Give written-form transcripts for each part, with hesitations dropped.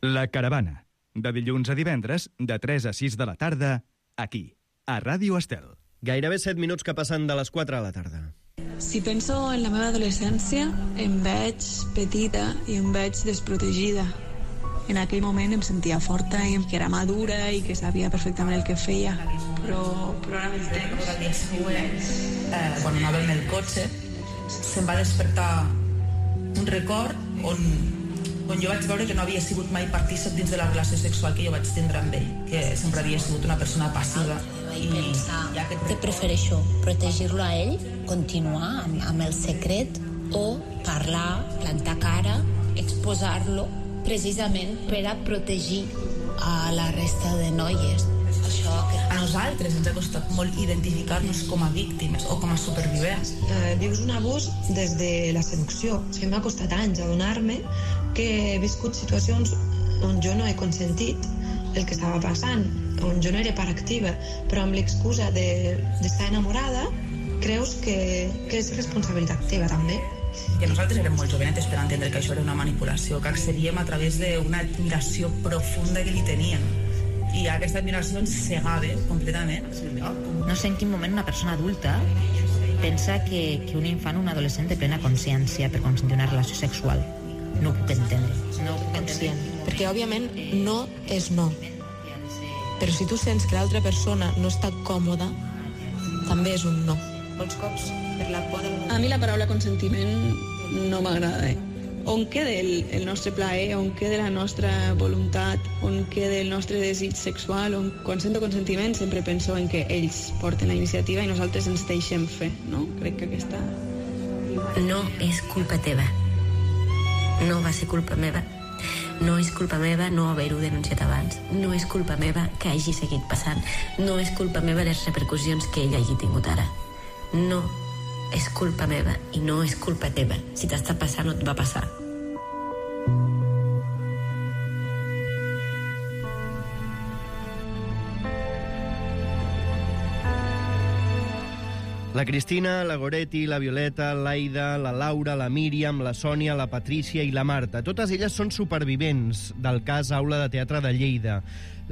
La Caravana, de dilluns a divendres, de 3 a 6 de la tarda, aquí, a Ràdio Estel. Gairebé 7 minuts que passen de les 4 de la tarda. Si penso en la meva adolescència, em veig petita i em veig desprotegida. En aquell moment em sentia forta i que era madura i que sabia perfectament el que feia, però amb el temps... El dia següent, quan anava amb el cotxe, se'm va despertar un record on jo vaig veure que no havia sigut mai partícip dins de la relació sexual que jo vaig tindre amb ell, que sempre havia sigut una persona passiva. I pensar que prefereixo protegir-lo a ell, continuar amb el secret, o parlar, plantar cara, exposar-lo, precisament per a protegir a la resta de noies. A nosaltres ens ha costat molt identificar-nos com a víctimes o com a supervivents. Vius un abús des de la seducció. O sigui, m'ha costat anys adonar-me que he viscut situacions on jo no he consentit el que estava passant, on jo no era part activa, però amb l'excusa d'estar enamorada creus que és responsabilitat teva també. Que nosaltres érem molt jovenetes per entendre que això era una manipulació, que accedíem a través d'una admiració profunda que li teníem. I aquesta admiració ens cegava completament. No sé en quin moment una persona adulta pensa que un infant o un adolescent té plena consciència per consentir una relació sexual. No ho puc entendre. No ho puc conscient. Perquè, òbviament, no és no. Però si tu sents que l'altra persona no està còmoda, també és un no. Molts cops, per la por del... A mi la paraula consentiment no m'agrada. On queda el nostre plaer, on queda la nostra voluntat, on queda el nostre desig sexual. Quan sento consentiment sempre penso en que ells porten la iniciativa i nosaltres ens deixem fer, no? Crec que aquesta... No és culpa teva. No va ser culpa meva. No és culpa meva no haver-ho denunciat abans. No és culpa meva que hagi seguit passant. No és culpa meva les repercussions que ell hagi tingut ara. No és culpa meva i no és culpa teva. Si t'està passant, no et va passar. La Cristina, la Goretti, la Violeta, l'Aida, la Laura, la Míriam, la Sònia, la Patrícia i la Marta. Totes elles són supervivents del cas Aula de Teatre de Lleida.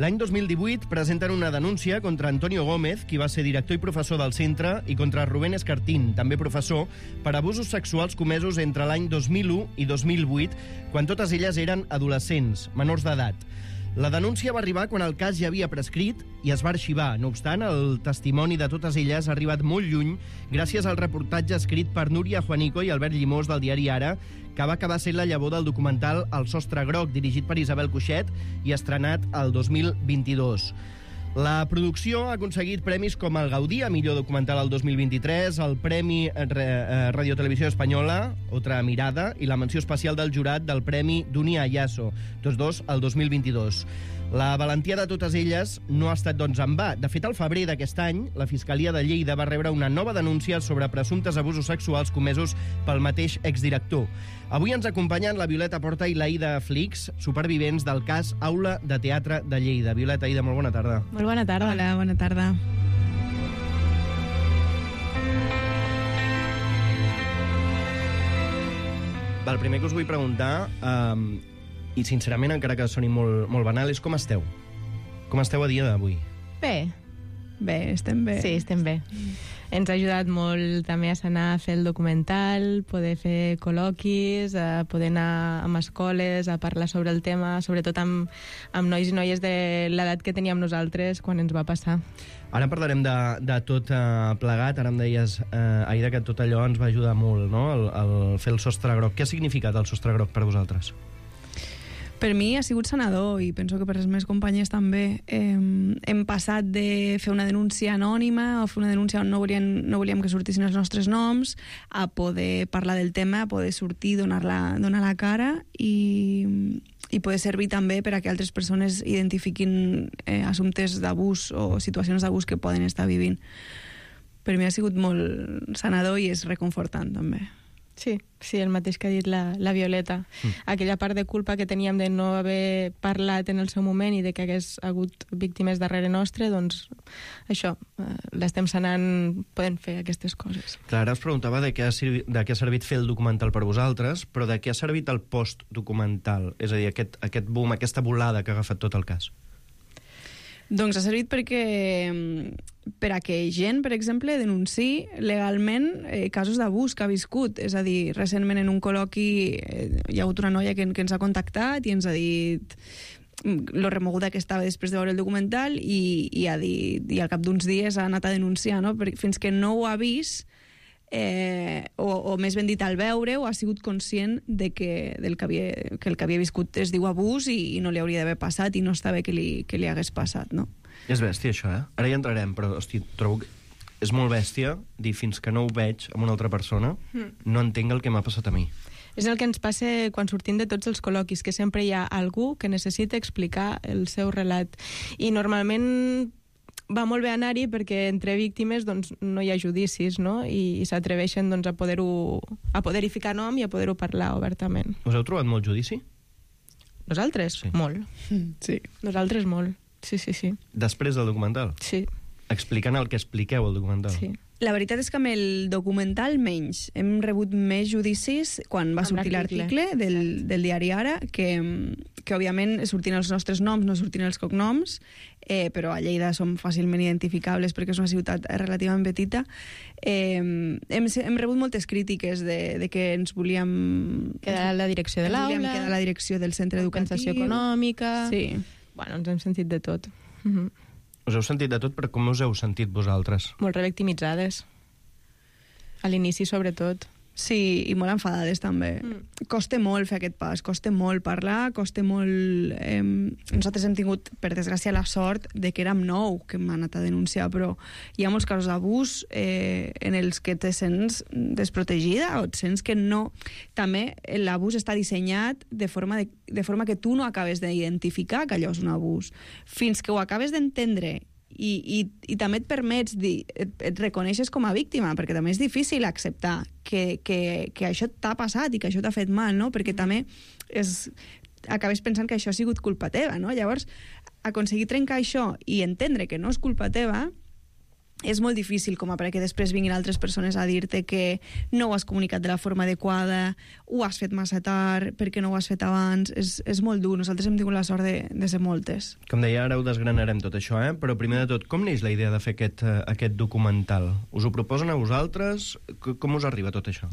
L'any 2018 presenten una denúncia contra Antonio Gómez, qui va ser director i professor del centre, i contra Rubén Escartín, també professor, per abusos sexuals comesos entre l'any 2001 i 2008, quan totes elles eren adolescents, menors d'edat. La denúncia va arribar quan el cas ja havia prescrit i es va arxivar. No obstant, el testimoni de totes elles ha arribat molt lluny gràcies al reportatge escrit per Núria Juanico i Albert Llimós del diari Ara, que va acabar sent la llavor del documental El sostre groc, dirigit per Isabel Cuixet i estrenat el 2022. La producció ha aconseguit premis com el Gaudí a millor documental el 2023, el Premi Radio Televisió Espanyola, Otra Mirada, i la menció especial del jurat del Premi Dunia Ayaso, tots dos el 2022. La valentia de totes elles no ha estat, doncs, en va. De fet, al febrer d'aquest any, la Fiscalia de Lleida va rebre una nova denúncia sobre presumptes abusos sexuals comesos pel mateix exdirector. Avui ens acompanyen la Violeta Porta i l'Aida Flix, supervivents del cas Aula de Teatre de Lleida. Violeta, Aida, molt bona tarda. Molt bona tarda. Hola, bona tarda. El primer que us vull preguntar, i sincerament, encara que soni molt banal, és com esteu? Com esteu a dia d'avui? Bé, estem bé. Sí, estem bé. Ens ha ajudat molt també a anar a fer el documental, poder fer col·loquis, poder anar a escoles, a parlar sobre el tema, sobretot amb nois i noies de l'edat que teníem nosaltres quan ens va passar. Ara parlarem de tot plegat. Ara em deies, Aida, que tot allò ens va ajudar molt, no? El fer el sostre groc. Què ha significat el sostre groc per vosaltres? Per mi ha sigut sanador i penso que per les meves companyes també. Hem passat de fer una denúncia anònima o fer una denúncia on no volíem que sortissin els nostres noms a poder parlar del tema, a poder sortir, donar la cara i poder servir també per a que altres persones identifiquin assumptes d'abús o situacions d'abús que poden estar vivint. Per mi ha sigut molt sanador i és reconfortant també. Sí, el mateix que ha dit la Violeta. Aquella part de culpa que teníem de no haver parlat en el seu moment i de que hagués hagut víctimes darrere nostre, doncs això, l'estem sanant, podem fer aquestes coses. Clara us preguntava de què ha servit fer el documental per vosaltres, però de què ha servit el post-documental? És a dir, aquest boom, aquesta volada que ha agafat tot el cas. Doncs ha servit per a que gent, per exemple, denunciï legalment casos d'abús que ha viscut. És a dir, recentment en un col·loqui hi ha hagut una noia que ens ha contactat i ens ha dit lo remoguda que estava després de veure el documental i ha dit, i al cap d'uns dies ha anat a denunciar, no? Fins que no ho ha vist o més ben dit al veure-ho ha sigut conscient de que el que havia viscut es diu abús i no li hauria d'haver passat i no està bé que li hagués passat, no? És bèstia això, Ara hi entrarem, però hosti, trobo que és molt bèstia dir fins que no ho veig amb una altra persona no entenc el que m'ha passat a mi. És el que ens passa quan sortim de tots els col·loquis, que sempre hi ha algú que necessita explicar el seu relat. I normalment va molt bé anar-hi perquè entre víctimes doncs, no hi ha judicis, no? I s'atreveixen doncs, a poder-hi ficar nom i a poder-ho parlar obertament. Us heu trobat molt judici? Nosaltres? Sí. Molt. Sí. Nosaltres molt. Sí. Després del documental? Sí. Explicant el que expliqueu al documental? Sí. La veritat és que amb el documental menys. Hem rebut més judicis quan va sortir l'article del diari Ara, que òbviament sortien els nostres noms, no sortien els cognoms, però a Lleida som fàcilment identificables perquè és una ciutat relativament petita. Hem rebut moltes crítiques de que ens volíem quedar a la direcció de l'aula, volíem quedar a la direcció del centre educatiu, compensació econòmica. Sí. Bueno, ens hem sentit de tot. Us heu sentit de tot, però com us heu sentit vosaltres? Molt revictimitzades. A l'inici, sobretot. Sí, i molt enfadades, també. Costa molt fer aquest pas, costa molt parlar, costa molt... Nosaltres hem tingut, per desgràcia, la sort de que érem 9 que hem anat a denunciar, però hi ha molts casos d'abús en els que te sents desprotegida o et sents que no... També l'abús està dissenyat de forma que tu no acabes d'identificar que allò és un abús. Fins que ho acabes d'entendre i també et permets et reconeixes com a víctima, perquè també és difícil acceptar que això t'ha passat i que això t'ha fet mal, no? Perquè també acabes pensant que això ha sigut culpa teva, no? Llavors, aconseguir trencar això i entendre que no és culpa teva és molt difícil, com a perquè després vinguin altres persones a dir-te que no ho has comunicat de la forma adequada, ho has fet massa tard, perquè no ho has fet abans. És molt dur. Nosaltres hem tingut la sort de ser moltes. Com deia, ara ho desgranarem tot això, però primer de tot, com neix la idea de fer aquest documental? Us ho proposen a vosaltres? Com us arriba tot això?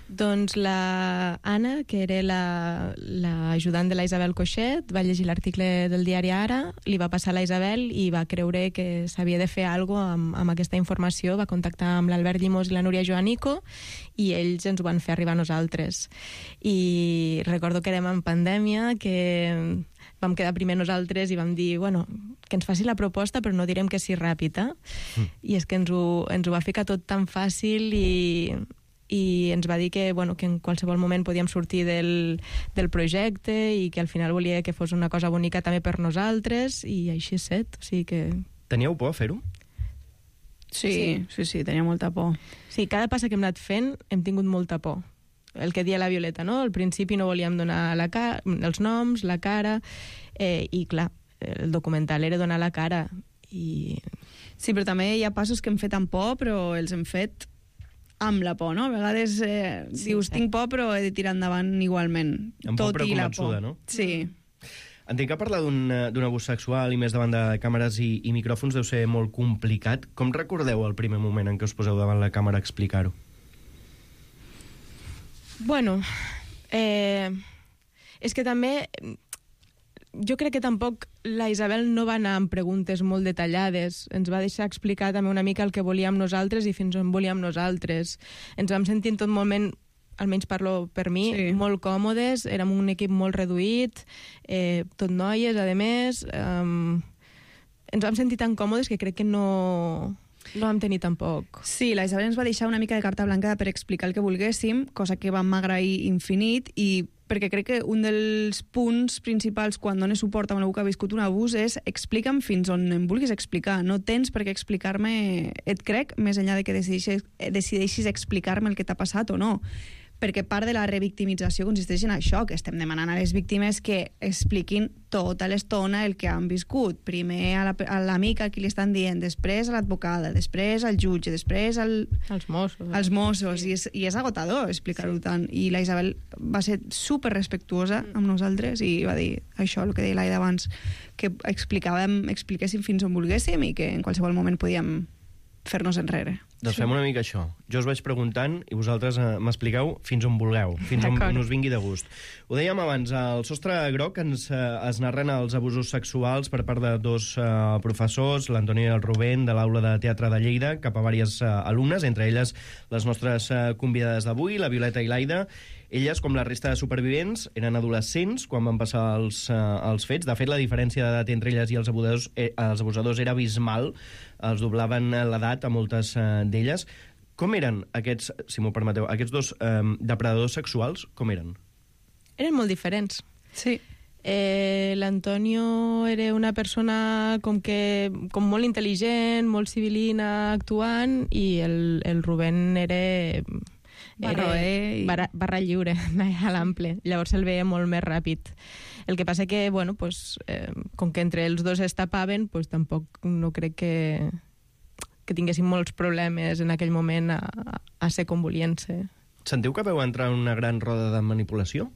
Doncs la Anna, que era l'ajudant de la Isabel Coixet, va llegir l'article del diari Ara, li va passar a la Isabel i va creure que s'havia de fer alguna cosa amb aquesta informació. Va contactar amb l'Albert Llimós i la Núria Joanico i ells ens ho van fer arribar a nosaltres. I recordo que érem en pandèmia, que vam quedar primer nosaltres i vam dir, bueno, que ens faci la proposta però no direm que sí ràpid, I és que ens ho va ficar tot tan fàcil i ens va dir que en qualsevol moment podíem sortir del projecte i que al final volia que fos una cosa bonica també per nosaltres i així és set. O sigui que... Teníeu por a fer-ho? Sí, tenia molta por. Sí, cada passa que hem anat fent hem tingut molta por. El que dia la Violeta, no? Al principi no volíem donar els noms, la cara, i clar, el documental era donar la cara. Sí, però també hi ha passos que hem fet amb por, però els hem fet amb la por, no? A vegades dius, tinc por, però he de tirar endavant igualment. Amb por però convençuda, no? Sí. Entenc que parlar d'un abús sexual i més davant de càmeres i micròfons deu ser molt complicat. Com recordeu el primer moment en què us poseu davant la càmera a explicar-ho? Bueno, és que també... Jo crec que tampoc la Isabel no va anar amb preguntes molt detallades. Ens va deixar explicar també una mica el que volíem nosaltres i fins on volíem nosaltres. Ens vam sentir en tot moment, almenys parlo per mi, molt còmodes. Érem un equip molt reduït, tot noies, a més. Ens vam sentir tan còmodes que crec que no vam tenir tampoc. Sí, la Isabel ens va deixar una mica de carta blanca per explicar el que volguéssim, cosa que vam agrair infinit, i perquè crec que un dels punts principals quan dones suport a algú que ha viscut un abús és explica'm fins on em vulguis explicar. No tens per què explicar-me, et crec, més enllà de que decideixis explicar-me el que t'ha passat o no. perquè part de la revictimització consisteix en això, que estem demanant a les víctimes que expliquin tota l'estona el que han viscut. Primer a l'amic a qui li estan dient, després a l'advocada, després al jutge, després als Mossos. Sí. I és agotador explicar-ho tant. I la Isabel va ser super respectuosa amb nosaltres i va dir això, el que deia l'Aida abans, que expliquéssim fins on volguéssim i que en qualsevol moment podíem fer-nos enrere. Doncs fem una mica això. Jo us vaig preguntant i vosaltres m'expliqueu fins on vulgueu, fins on us vingui de gust. Ho dèiem abans, al Sostre Groc es narren els abusos sexuals per part de dos professors, l'Antoni i el Rubén, de l'Aula de Teatre de Lleida, cap a diverses alumnes, entre elles les nostres convidades d'avui, la Violeta i l'Aida. Elles, com la resta de supervivents, eren adolescents quan van passar els fets. De fet, la diferència d'edat entre elles i els abusadors era abismal. Els doblaven l'edat a moltes d'elles. Com eren aquests, si m'ho permeteu, aquests dos depredadors sexuals, com eren? Eren molt diferents. Sí. L'Antonio era una persona com molt intel·ligent, molt civilina, actuant, i el Rubén era barra lliure, a l'ample. Llavors el veia molt més ràpid. El que passa que, bueno, pues, com que entre els dos es tapaven, pues, tampoc no crec que tinguessin molts problemes en aquell moment a ser com volien ser. Sentiu que veu entrar en una gran roda de manipulació?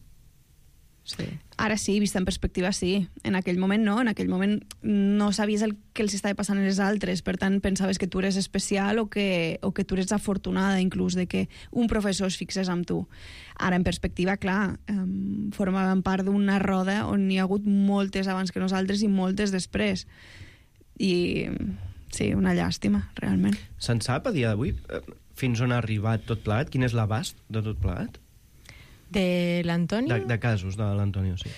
Sí. Ara sí, vista en perspectiva sí. En aquell moment no, en aquell moment no sabies el que els estava passant a les altres, per tant pensaves que tu eres especial o que tu eres afortunada inclús de que un professor es fixés amb tu. Ara en perspectiva, clar, formaven part d'una roda on hi ha hagut moltes abans que nosaltres i moltes després. I sí, una llàstima, realment. Se'n sap a dia d'avui fins on ha arribat tot plegat? Quin és l'abast de tot plegat? De l'Antonio? De casos de l'Antonio, sí.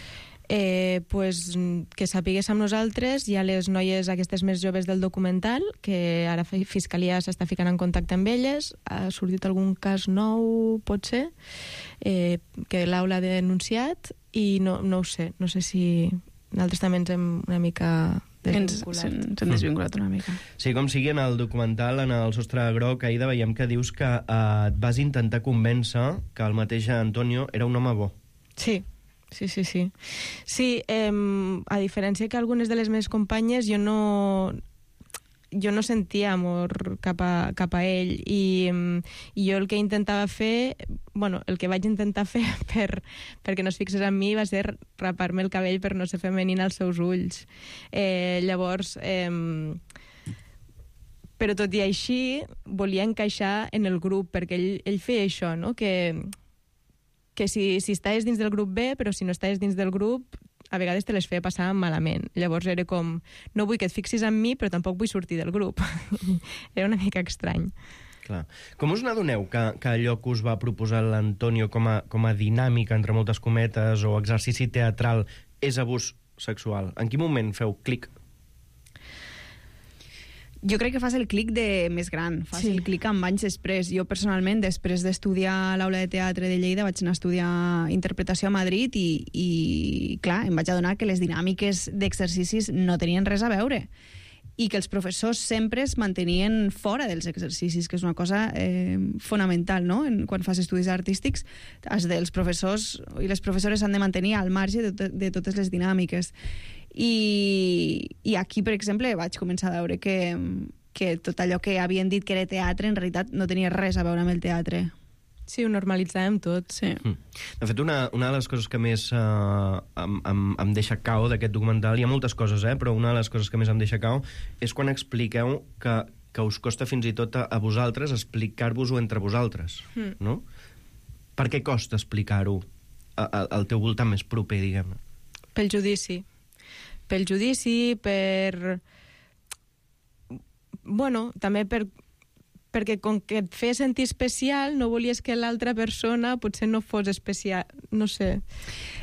Pues, que sapigués amb nosaltres, hi ha les noies aquestes més joves del documental, que ara Fiscalia s'està ficant en contacte amb elles. Ha sortit algun cas nou, pot ser, que l'Aula ha denunciat, i no ho sé. No sé si nosaltres també ens hem una mica desvinculat. Ens hem desvinculat una mica. Sí, com sigui, en el documental, en el Sostre Groc, Aida, veiem que dius que et vas intentar convèncer que el mateix Antonio era un home bo. Sí. Sí, a diferència que algunes de les meves companyes, jo no sentia amor cap a ell, i jo el que intentava fer, el que vaig intentar fer perquè no es fixés en mi va ser rapar-me el cabell per no ser femenina als seus ulls. Llavors, però tot i així volia encaixar en el grup, perquè ell feia això, no? Que si estaves dins del grup bé, però si no estaves dins del grup, a vegades te les feia passar malament. Llavors era com, no vull que et fixis en mi, però tampoc vull sortir del grup. Era una mica estrany. Clar. Com us n'adoneu que allò que us va proposar l'Antonio com a dinàmica, entre moltes cometes, o exercici teatral, és abús sexual? En quin moment feu clic? Jo crec que fas el clic de més gran, fas el clic amb anys després. Jo personalment, després d'estudiar a l'Aula de Teatre de Lleida, vaig anar a estudiar interpretació a Madrid i clar, em vaig adonar que les dinàmiques d'exercicis no tenien res a veure i que els professors sempre es mantenien fora dels exercicis, que és una cosa fonamental, no? Quan fas estudis artístics, els professors i les professores s'han de mantenir al marge de totes les dinàmiques. I aquí, per exemple, vaig començar a veure que tot allò que havien dit que era teatre en realitat no tenia res a veure amb el teatre. Sí, ho normalitzàvem tot, sí. De fet, una de les coses que més em deixa cau d'aquest documental, hi ha moltes coses, però una de les coses que més em deixa cau és quan expliqueu que us costa fins i tot a vosaltres explicar-vos-ho entre vosaltres, no? Per què costa explicar-ho al teu voltant més proper, diguem-ne? Pel judici, també perquè com que et feia sentir especial, no volies que l'altra persona potser no fos especial, no sé.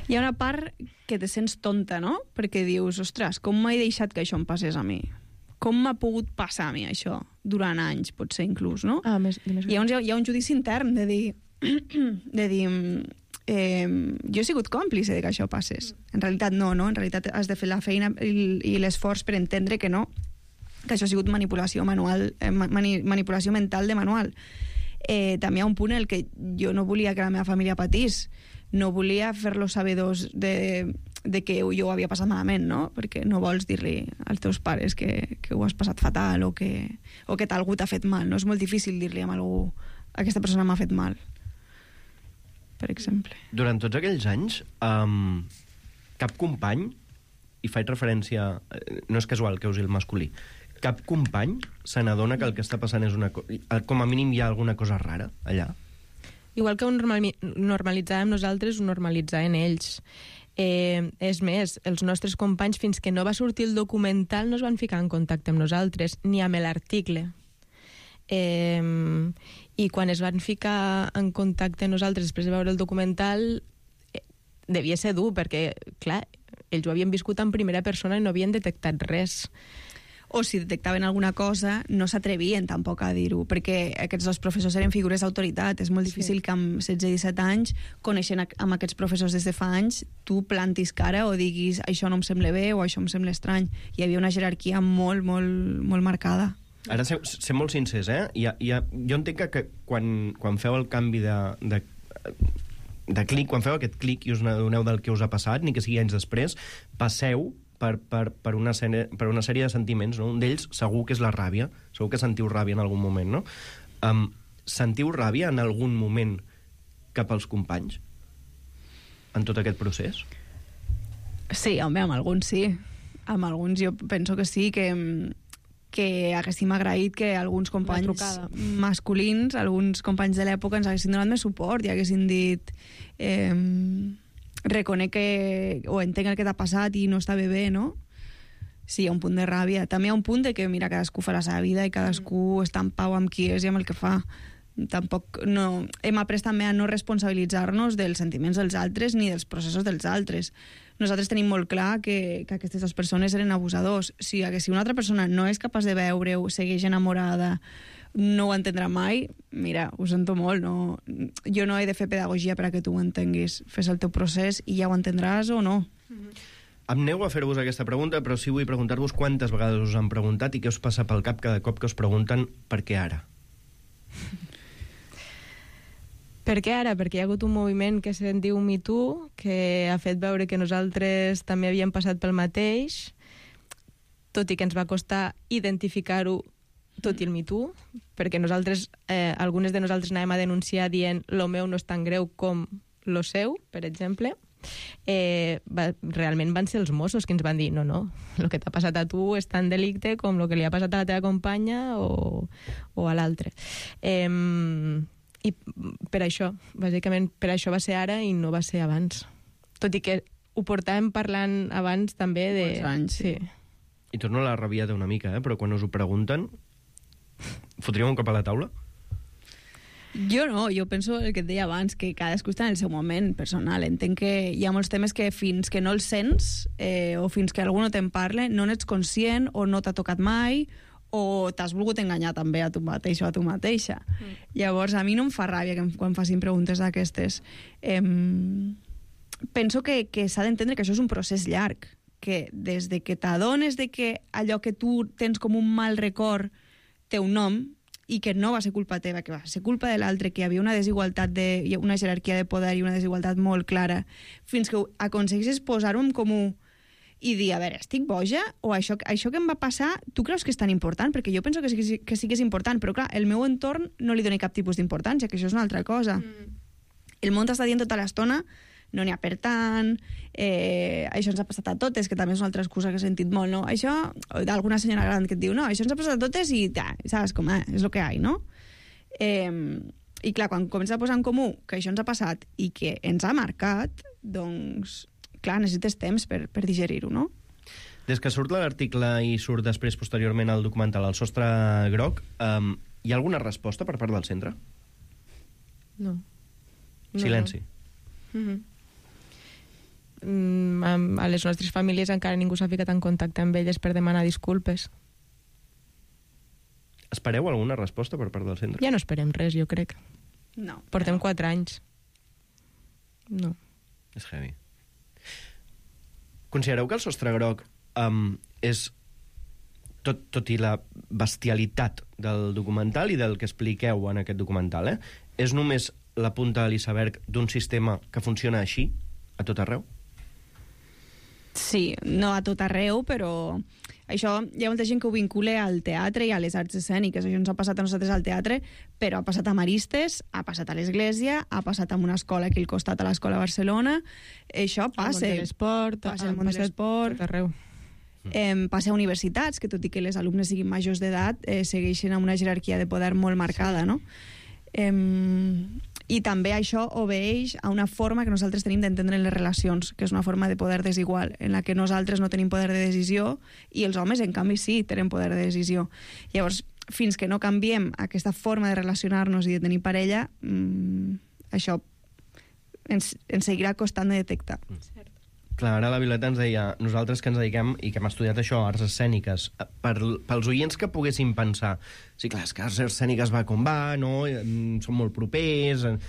Hi ha una part que te sents tonta, no? Perquè dius, ostres, com m'he deixat que això em passés a mi? Com m'ha pogut passar a mi això? Durant anys, potser inclús, no? I llavors hi ha un judici intern de dir jo he sigut còmplice de que això passés. En realitat no? En realitat has de fer la feina i l'esforç per entendre que no, que això ha sigut manipulació mental de manual. també hi ha un punt en el que jo no volia que la meva família patís, no volia fer-los sabedors de que jo ho havia passat malament, no? Perquè no vols dir-li als teus pares que ho has passat fatal o que algú t'ha fet mal, no? És molt difícil dir-li a algú aquesta persona m'ha fet mal, per exemple. Durant tots aquells anys, cap company, i faig referència, no és casual que usi el masculí, cap company se n'adona que el que està passant és com a mínim hi ha alguna cosa rara allà? Igual que ho normalitzàvem nosaltres, ho normalitzaven ells. És més, els nostres companys, fins que no va sortir el documental, no es van ficar en contacte amb nosaltres, ni amb l'article. I quan es van ficar en contacte amb nosaltres després de veure el documental, devia ser dur, perquè, clar, ells ho havien viscut en primera persona i no havien detectat res. O si detectaven alguna cosa, no s'atrevien tampoc a dir-ho, perquè aquests dos professors eren figures d'autoritat. És molt difícil que amb 16-17 anys, coneixent amb aquests professors des de fa anys, tu plantis cara o diguis això no em sembla bé o això em sembla estrany. Hi havia una jerarquia molt, molt, molt marcada. Ara, ser molt sincers, jo entenc que quan feu el canvi de clic, quan feu aquest clic i us adoneu del que us ha passat, ni que sigui anys després, passeu per una sèrie de sentiments, no? Un d'ells segur que és la ràbia, segur que sentiu ràbia en algun moment, no? Sentiu ràbia en algun moment cap als companys en tot aquest procés? Sí, home, amb alguns sí. Amb alguns jo penso que sí, que haguéssim agraït que alguns companys masculins, alguns companys de l'època ens haguessin donat més suport i haguessin dit reconec o entenc el que t'ha passat i no està bé, no? Sí, hi ha un punt de ràbia. També hi ha un punt de que, mira, cadascú fa la seva vida i cadascú està en pau amb qui és i amb el que fa. Tampoc no... Hem après també a no responsabilitzar-nos dels sentiments dels altres ni dels processos dels altres. Nosaltres tenim molt clar que aquestes dues persones eren abusadors. Si una altra persona no és capaç de veure-ho, segueix enamorada, no ho entendrà mai, mira, ho sento molt, no, jo no he de fer pedagogia per a que tu ho entenguis. Fes el teu procés i ja ho entendràs o no. Em nego a fer-vos aquesta pregunta, però sí vull preguntar-vos quantes vegades us han preguntat i què us passa pel cap cada cop que us pregunten per què ara? Per què ara? Perquè hi ha hagut un moviment que se'n diu Me Too, que ha fet veure que nosaltres també havíem passat pel mateix, tot i que ens va costar identificar-ho tot i el Me Too, perquè nosaltres, algunes de nosaltres anàvem a denunciar dient lo meu no és tan greu com lo seu, per exemple. Realment van ser els Mossos que ens van dir no, el que t'ha passat a tu és tan delicte com el que li ha passat a la teva companya o a l'altre. I per això, bàsicament per això va ser ara i no va ser abans. Tot i que ho portàvem parlant abans també de... Molts anys, sí. I torno a la rabiada una mica, però quan us ho pregunten, fotríem un cop a la taula? Jo no, jo penso el que et deia abans, que cadascú està en el seu moment personal. Entenc que hi ha molts temes que fins que no els sents o fins que algú no te'n parla, no n'ets conscient o no t'ha tocat mai o t'has volgut enganyar també a tu mateix o a tu mateixa. Llavors, a mi no em fa ràbia quan facin preguntes d'aquestes. Penso que s'ha d'entendre que això és un procés llarg, que des de que t'adones de que allò que tu tens com un mal record té un nom i que no va ser culpa teva, que va ser culpa de l'altre, que hi havia una desigualtat, una jerarquia de poder i una desigualtat molt clara, fins que aconseguissis posar-ho en comú i dir, a veure, estic boja? O això que em va passar, tu creus que és tan important? Perquè jo penso que sí que és important, però clar, el meu entorn no li dona cap tipus d'importància, que això és una altra cosa. El món t'està dient tota l'estona, no n'hi ha per tant, això ens ha passat a totes, que també és una altra excusa que he sentit molt, no? Això, d'alguna senyora gran que et diu, no, això ens ha passat a totes i saps com, és el que hi ha, no? I clar, quan comença a posar en comú que això ens ha passat i que ens ha marcat, doncs, clar, necessites temps per digerir-ho, no? Des que surt l'article i surt després, posteriorment, el documental El sostre groc, hi ha alguna resposta per part del centre? No. Silenci. A les nostres famílies encara ningú s'ha ficat en contacte amb elles per demanar disculpes. Espereu alguna resposta per part del centre? Ja no esperem res, jo crec. No. Portem 4 anys. No. És heavy. Considereu que el sostre groc és tot i la bestialitat del documental i del que expliqueu en aquest documental, és només la punta de l'iceberg d'un sistema que funciona així a tot arreu? Sí, no a tot arreu, però això hi ha molta gent que ho vincula al teatre i a les arts escèniques. Això ens ha passat a nosaltres al teatre, però ha passat a Maristes, ha passat a l'Església, ha passat a una escola aquí al costat, a l'Escola de Barcelona. Això passa. Al món de l'esport, passa al món de l'esport. Tot arreu. Passa a universitats, que tot i que les alumnes siguin majors d'edat, segueixen amb una jerarquia de poder molt marcada, no? I també això obeeix a una forma que nosaltres tenim d'entendre les relacions, que és una forma de poder desigual, en la que nosaltres no tenim poder de decisió i els homes, en canvi, sí, tenen poder de decisió. Llavors, fins que no canviem aquesta forma de relacionar-nos i de tenir parella, això ens seguirà costant de detectar. Clar, ara la Violeta ens deia, nosaltres que ens dediquem i que hem estudiat això, arts escèniques, pels oients que poguessin pensar, sí, clar, és que arts escèniques va com va, no? Són molt propers. Em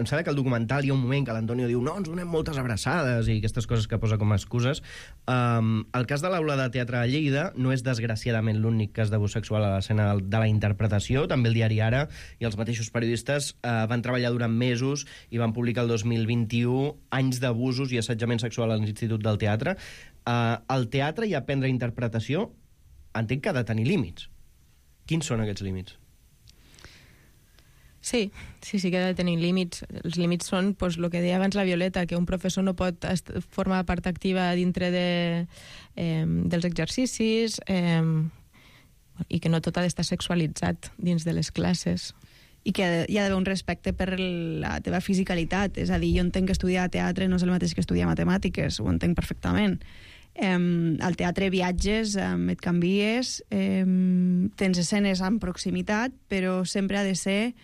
sembla que al documental hi ha un moment que l'Antonio diu no, ens donem moltes abraçades i aquestes coses que posa com a excuses. El cas de l'Aula de Teatre de Lleida no és desgraciadament l'únic cas d'abús sexual a l'escena de la interpretació. També el diari Ara i els mateixos periodistes van treballar durant mesos i van publicar el 2021 anys d'abusos i assetjament sexual a l'Institut del Teatre. El teatre i aprendre interpretació entenc que ha de tenir límits. Quins són aquests límits? Sí que ha de tenir límits. Els límits són, doncs, el que deia abans la Violeta, que un professor no pot formar part activa dintre dels exercicis i que no tot ha d'estar sexualitzat dins de les classes. I que hi ha d'haver un respecte per la teva fisicalitat. És a dir, jo entenc que estudiar teatre no és el mateix que estudiar matemàtiques, ho entenc perfectament. Al teatre viatges, et canvies, tens escenes en proximitat, però sempre ha de ser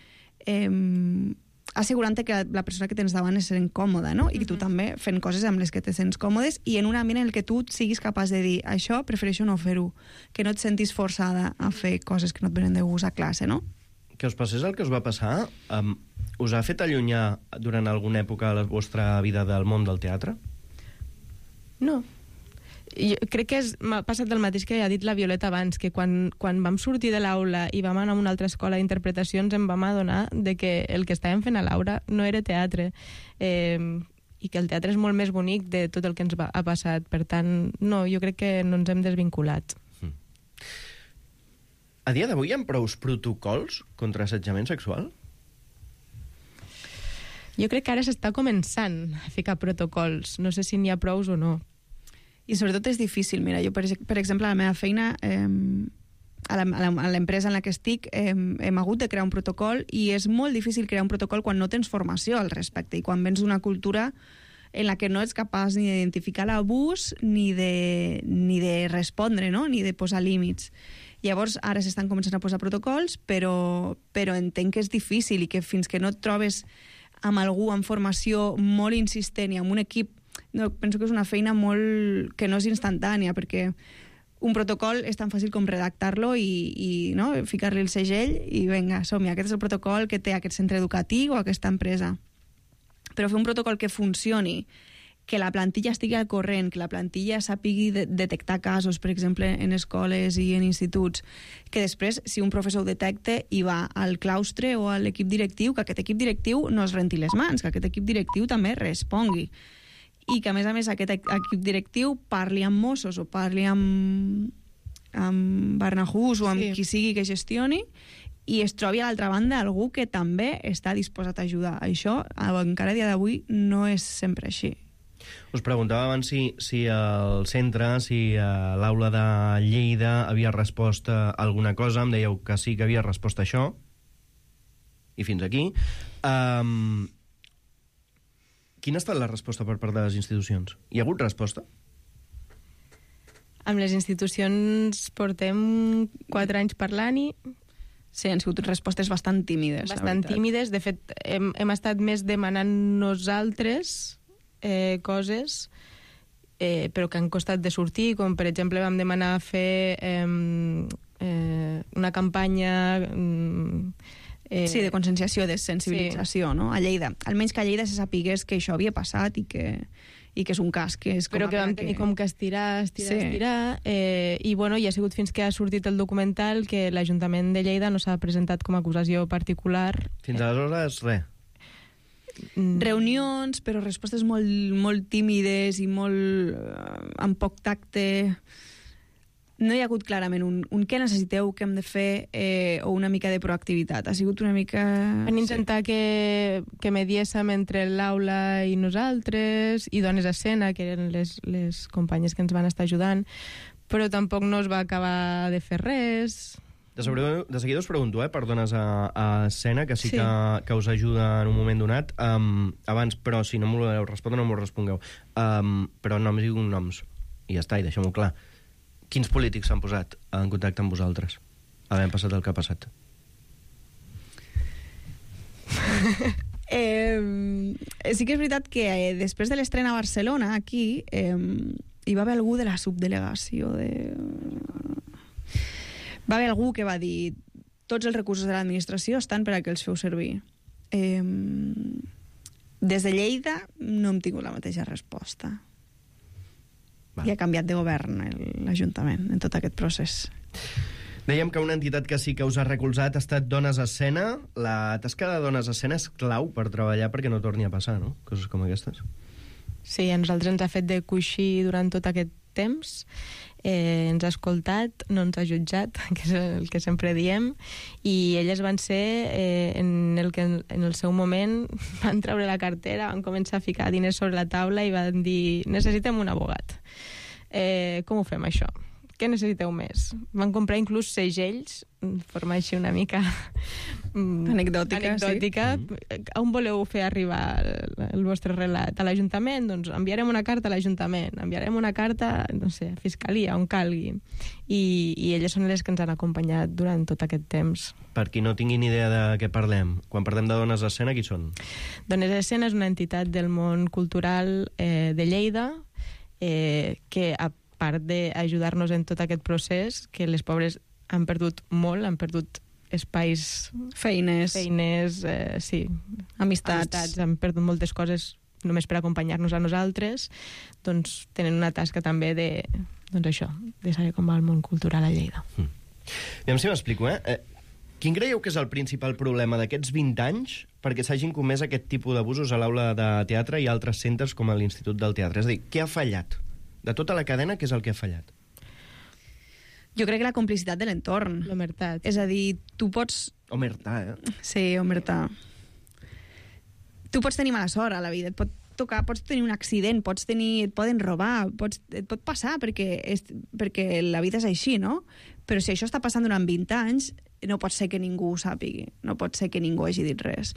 assegurant que la persona que tens davant és sent còmoda, no? I que tu també fent coses amb les que te sents còmodes i en un ambient en el que tu siguis capaç de dir això prefereixo no fer-ho, que no et sentis forçada a fer coses que no et venen de gust a classe, no? Que us passés el que us va passar, us ha fet allunyar durant alguna època la vostra vida del món del teatre? No. Jo crec que m'ha passat el mateix que ha dit la Violeta abans, que quan vam sortir de l'aula i vam anar a una altra escola d'interpretació ens en vam adonar de que el que estàvem fent a l'aula no era teatre i que el teatre és molt més bonic de tot el que ens ha passat. Per tant, no, jo crec que no ens hem desvinculat. A dia d'avui hi ha prous protocols contra assetjament sexual? Jo crec que ara s'està començant a ficar protocols. No sé si n'hi ha prous o no. I sobretot és difícil. Mira, jo, per exemple, a la meva feina, a l'empresa en la que estic, hem hagut de crear un protocol i és molt difícil crear un protocol quan no tens formació al respecte i quan vens d'una cultura en la que no ets capaç ni d'identificar l'abús ni de respondre, no? Ni de posar límits. Llavors, ara s'estan començant a posar protocols, però entenc que és difícil i que fins que no et trobes amb algú amb formació molt insistent i amb un equip, no, penso que és una feina molt que no és instantània, perquè un protocol és tan fàcil com redactar-lo i no, ficar-li el segell i vinga, som-hi, aquest és el protocol que té aquest centre educatiu o aquesta empresa. Però fer un protocol que funcioni, que la plantilla estigui al corrent, que la plantilla sàpigui detectar casos, per exemple, en escoles i en instituts, que després, si un professor ho detecta i va al claustre o a l'equip directiu, que aquest equip directiu no es renti les mans, que aquest equip directiu també respongui. I que, a més, aquest equip directiu parli amb Mossos o parli amb Barnahus o amb qui sigui que gestioni i es trobi a l'altra banda algú que també està disposat a ajudar. Això, encara a dia d'avui, no és sempre així. Us preguntava abans si el centre, si l'aula de Lleida havia respost a alguna cosa. Em dèieu que sí que havia respost a això. I fins aquí. Quina ha estat la resposta per part de les institucions? Hi ha hagut resposta? Amb les institucions portem 4 anys parlant-hi. Sí, han sigut respostes bastant tímides. Bastant tímides. De fet, hem estat més demanant nosaltres coses, però que han costat de sortir, com per exemple vam demanar fer una campanya... sí, de conscienciació, de sensibilització, no? A Lleida. Almenys que a Lleida se sapigués que això havia passat i i que és un cas que és però que vam tenir com que estirar, i bueno, i ha sigut fins que ha sortit el documental que l'Ajuntament de Lleida no s'ha presentat com a acusació particular. Fins aleshores, res. Reunions, però respostes molt tímides i molt amb poc tacte. No hi ha hagut clarament un què necessiteu, què hem de fer, o una mica de proactivitat. Ha sigut una mica... Van intentar que mediéssim entre l'aula i nosaltres, i Dones a Escena, que eren les companyes que ens van estar ajudant, però tampoc no es va acabar de fer res. De seguida us pregunto, per Dones a Escena, que sí que us ajuda en un moment donat. Abans, però, si no m'ho voleu respondre, no m'ho respongueu. Però noms i cognoms. I ja està, i deixem-ho clar. Quins polítics s'han posat en contacte amb vosaltres, havent passat el que ha passat? Sí que és veritat que després de l'estrena a Barcelona, aquí, hi va haver algú de la subdelegació va haver algú que va dir tots els recursos de l'administració estan per a que els feu servir. Des de Lleida no hem tingut la mateixa resposta. I ha canviat de govern l'Ajuntament en tot aquest procés. Dèiem que una entitat que sí que us ha recolzat ha estat Dones a Escena. La tasca de Dones a Escena és clau per treballar perquè no torni a passar, no? Coses com aquestes. Sí, a nosaltres ens ha fet de coixí durant tot aquest temps. Ens ha escoltat, no ens ha jutjat, que és el que sempre diem, i elles van ser en el seu moment van treure la cartera, van començar a ficar diners sobre la taula i van dir necessitem un abogat. Com ho fem això? Què necessiteu més? Van comprar inclús segells, forma així una mica anecdòtica. Sí. On voleu fer arribar el vostre relat? A l'Ajuntament? Doncs enviarem una carta a l'Ajuntament, enviarem una carta, no sé, a Fiscalia, on calgui. I elles són les que ens han acompanyat durant tot aquest temps. Per qui no tinguin idea de què parlem, quan parlem de Dones a Escena, qui són? Dones a Escena és una entitat del món cultural de Lleida que, a part d'ajudar-nos en tot aquest procés, que les pobres han perdut molt, han perdut espais... Feines, sí. Amistats, han perdut moltes coses només per acompanyar-nos a nosaltres, doncs tenen una tasca també de saber com va el món cultural a Lleida. Aviam si m'explico, Quin creieu que és el principal problema d'aquests 20 anys perquè s'hagin comès aquest tipus d'abusos a l'aula de teatre i altres centres com a l'Institut del Teatre? És a dir, què ha fallat? De tota la cadena, què és el que ha fallat? Jo crec que la complicitat de l'entorn. L'omertat. És a dir, tu pots... Omertar, Sí, omertar. Tu pots tenir mala sort a la vida, et pot tocar, pots tenir un accident, et poden robar, et pot passar perquè la vida és així, no? Però si això està passant durant 20 anys, no pot ser que ningú ho sàpigui, no pot ser que ningú hagi dit res.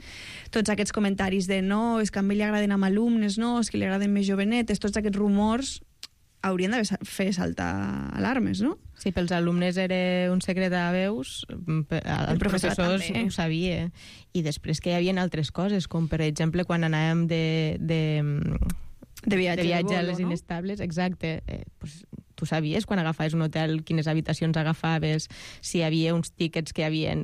Tots aquests comentaris de no, és que a mi li agraden amb alumnes, no, és que li agraden més jovenetes, tots aquests rumors haurien de fer saltar alarmes, no? Sí, pels alumnes era un secret a veus, els professors ho sabia. I després que hi havia altres coses, com per exemple quan anàvem de viatge a les inestables, exacte, pues, tu sabies quan agafaves un hotel quines habitacions agafaves, si hi havia uns tíquets que hi havia